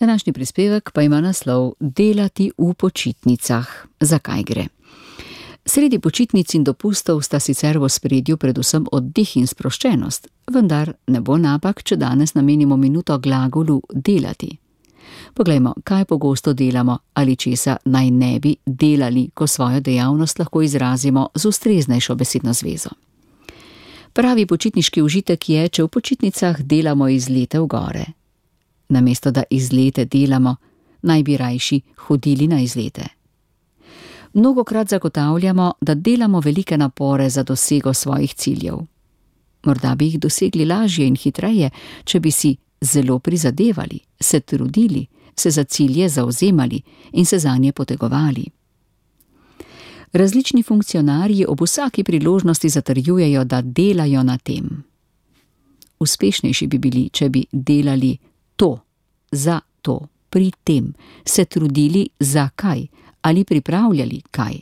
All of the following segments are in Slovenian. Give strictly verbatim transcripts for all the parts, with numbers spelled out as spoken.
Današnji prispevek pa ima naslov Delati v počitnicah. Zakaj gre? Sredi počitnic in dopustov sta sicer v ospredju predvsem oddih in sproščenost, vendar ne bo napak, če danes namenimo minuto glagolu delati. Poglejmo, kaj pogosto delamo ali česa naj ne bi delali, ko svojo dejavnost lahko izrazimo z ustreznejšo besedno zvezo. Pravi počitniški užitek je, če v počitnicah delamo izlete v gore. Namesto da izlete delamo, naj bi rajši hodili na izlete. Mnogokrat zagotavljamo, da delamo velike napore za dosego svojih ciljev. Morda bi jih dosegli lažje in hitreje, če bi si zelo prizadevali, se trudili, se za cilje zavzemali in se zanje potegovali. Različni funkcionarji ob vsaki priložnosti zatrjujejo, da delajo na tem. Uspešnejši bi bili, če bi delali to, za to, pri tem, se trudili za kaj ali pripravljali kaj.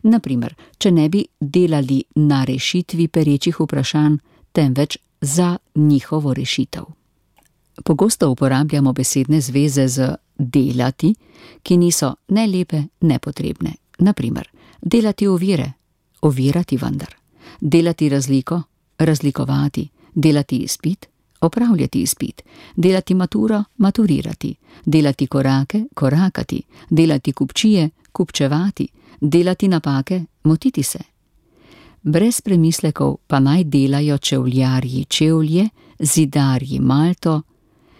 Naprimer, če ne bi delali na rešitvi perečih vprašanj, temveč za njihovo rešitev. Pogosto uporabljamo besedne zveze z delati, ki niso ne lepe, ne potrebne. Naprimer, delati ovire, ovirati vendar, delati razliko, razlikovati, delati izpit, opravljati izpit, delati maturo, maturirati, delati korake, korakati, delati kupčije, kupčevati, delati napake, motiti se. Brez premislekov pa naj delajo čevljarji čevlje, zidarji malto,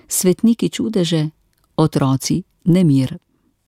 svetniki čudeže, otroci nemir.